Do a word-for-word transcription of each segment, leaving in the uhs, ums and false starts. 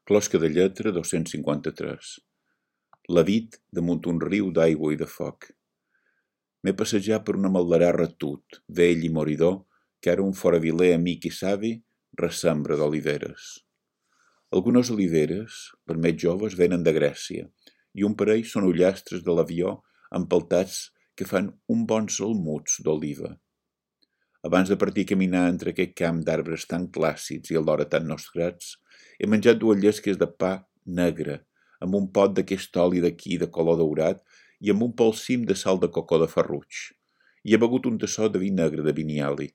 Closca de lletra dos-cents cinquanta-tres. La vid damunt un riu d'aigua i de foc. M'he passejat per una maldarà retut, vell i moridor, que ara un foraviler amic i savi ressembra d'oliveres. Algunes oliveres, per més joves, venen de Grècia, i un parell són ullastres de l'avió empeltats que fan un bon salmuts d'oliva. Abans de partir a caminar entre aquest camp d'arbres tan clàssics i alhora tan nostrats, he menjat dues llesques de pa negre, amb un pot d'aquest oli d'aquí de color daurat i amb un polsim de sal de cocó de Ferruig, i he begut un tassó de vi negre de Vinyali.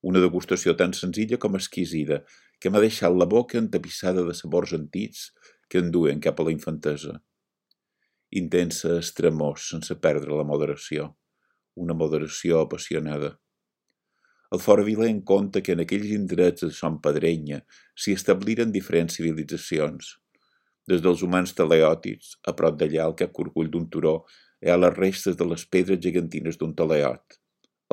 Una degustació tan senzilla com exquisida, que m'ha deixat la boca entapissada de sabors antics que enduen cap a la infantesa. Intensa estremor sense perdre la moderació, una moderació apassionada. El foraviler en compta que en aquells indrets de Son Pedrenya s'hi establiren diferents civilitzacions. Des dels humans teleòtics, a prop d'allà al cap curcull d'un turó, hi ha les restes de les pedres gegantines d'un teleot.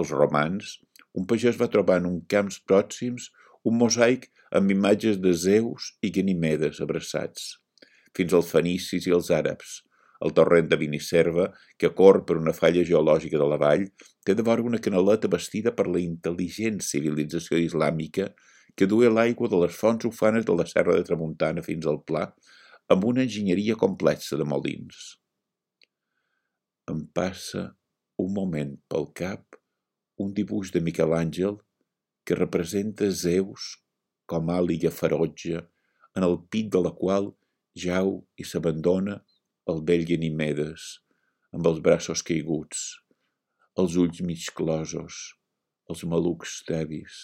Els romans, un pagès va trobar en uns camps pròxims un mosaic amb imatges de Zeus i Ganimedes abraçats. Fins als fenicis i els àrabs. El torrent de Binicerva, que corre per una falla geològica de la vall, té de vora una canaleta bastida per la intel·ligent civilització islàmica que duia l'aigua de les fonts ufanes de la Serra de Tramuntana fins al Pla, amb una enginyeria complexa de molins. Em passa un moment pel cap un dibuix de Miquel Àngel que representa Zeus com àliga ferotge, en el pit de la qual jau i s'abandona el vell Ganimedes, amb els braços caiguts, els ulls mig closos, els malucs tevis.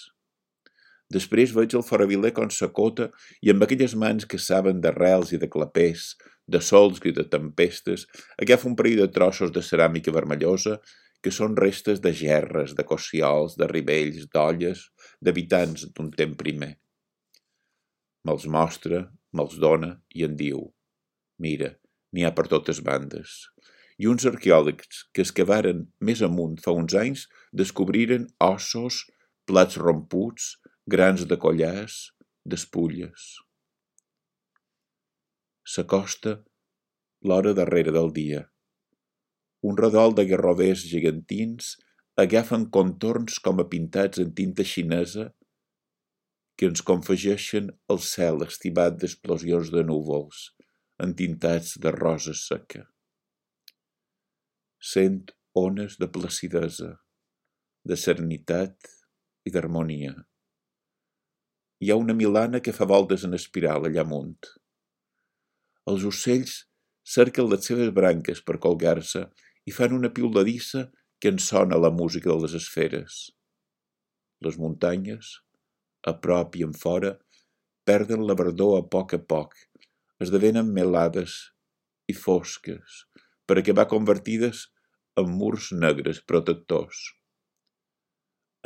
Després veig el foraviler com s'acota i amb aquelles mans que saben d'arrels i de clapers, de sols i de tempestes, agafa un parell de trossos de ceràmica vermellosa que són restes de gerres, de cossiols, de rivells, d'olles, d'habitants d'un temps primer. Me'ls mostra, me'ls dona i en diu: mira, n'hi ha per totes bandes. I uns arqueòlegs que excavaren més amunt fa uns anys descobriren ossos, plats romputs, grans de collars, despulles. S'acosta l'hora darrere del dia. Un redol de garrovers gegantins agafen contorns com a pintats en tinta xinesa que ens confegeixen el cel estivat d'explosions de núvols, entintats de rosa seca. Sent ones de placidesa, de serenitat i d'harmonia. Hi ha una milana que fa voltes en espiral allà amunt. Els ocells cerquen les seves branques per colgar-se i fan una piuladissa que en sona la música de les esferes. Les muntanyes, a prop i en fora, perden la verdor a poc a poc, esdevenen melades i fosques, per acabar convertides en murs negres protectors.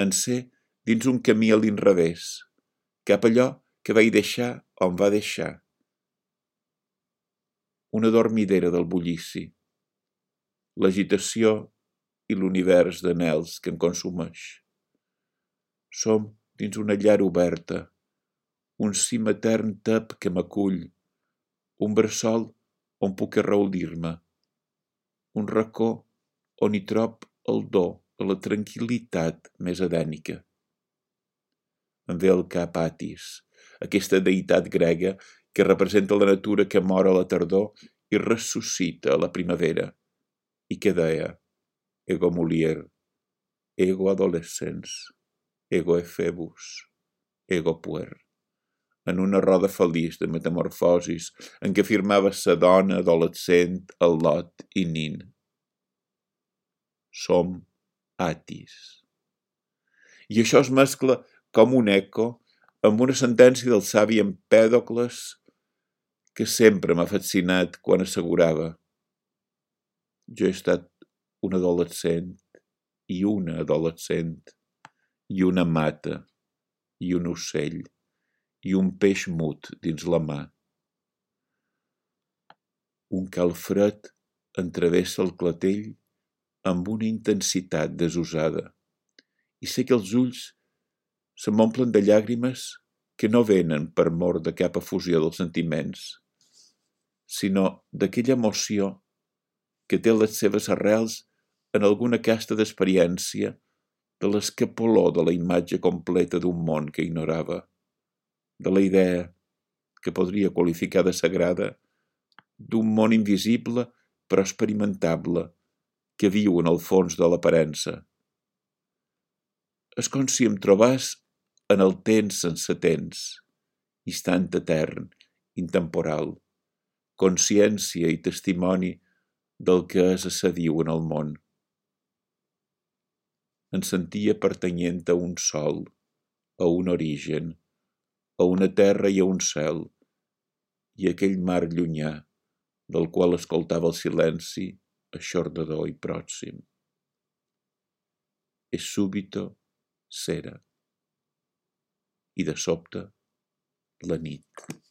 En ser dins un camí a l'inrevés, cap allò que vaig deixar on va deixar. Una dormidera del bullici, l'agitació i l'univers d'anhels que em consumeix. Som dins una llar oberta, un cim etern tep que m'acull, un bressol on puc arraulir-me, un racó on hi trob el do de la tranquil·litat més edènica. Em ve al cap Atis, aquesta deïtat grega que representa la natura que mor a la tardor i ressuscita a la primavera, i que deia: ego mulier, ego adolescens, ego efebus, ego puer, en una roda feliç de metamorfosis en què firmava sa dona adolescent, el lot i nin. Som Atis. I això es mescla com un eco amb una sentència del savi Empèdocles que sempre m'ha fascinat quan assegurava: jo he estat un adolescent i una adolescent i una mata i un ocell i un peix mut dins la mà. Un calfred entravessa el clatell amb una intensitat desusada i sé que els ulls se m'omplen de llàgrimes que no venen per mor de cap efusió dels sentiments, sinó d'aquella emoció que té les seves arrels en alguna casta d'experiència de l'escapoló de la imatge completa d'un món que ignorava, de la idea, que podria qualificar de sagrada, d'un món invisible però experimentable, que viu en el fons de l'aparença. És com si em trobàs en el temps sense temps, instant etern, intemporal, consciència i testimoni del que és assediu en el món. Em sentia pertanyent a un sol, a un origen, a una terra i a un cel, i aquell mar llunyà, del qual escoltava el silenci aixordador i pròxim. E súbito s'era, i de sobte la nit.